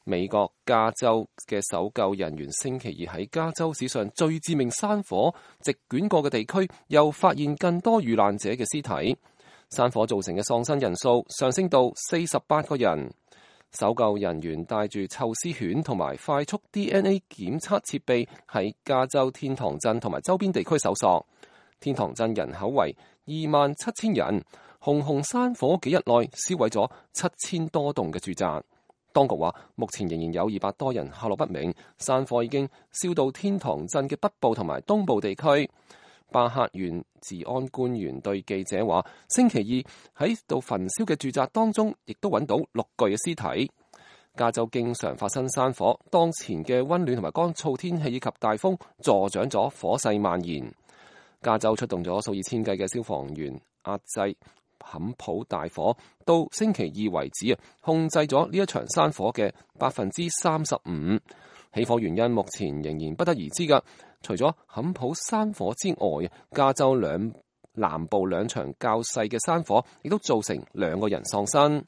美國加州嘅搜救人員星期二喺加州史上最致命山火席捲過嘅地區，又發現更多遇難者嘅屍體。山火造成嘅喪生人數上升到48個人。搜救人員帶住臭絲犬同埋快速 DNA 檢測設備喺加州天堂鎮同埋周邊地區搜索。天堂鎮人口為27,000人，熊熊山火幾日內燒毀咗7000多棟嘅住宅。當局話，目前仍然有200多人下落不明。山火已經燒到天堂鎮嘅北部同埋東部地區。巴克縣治安官員對記者話，星期二喺度焚燒嘅住宅當中，亦都揾到6具嘅屍體。加州經常發生山火，當前嘅溫暖同埋乾燥天氣以及大風助長咗火勢蔓延。加州出動咗數以千計嘅消防員壓制坎普大火，到星期二為止控制咗呢一場山火嘅35%。起火原因目前仍然不得而知㗎。除咗坎普山火之外，加州南部兩場較細嘅山火亦都造成2個人喪生。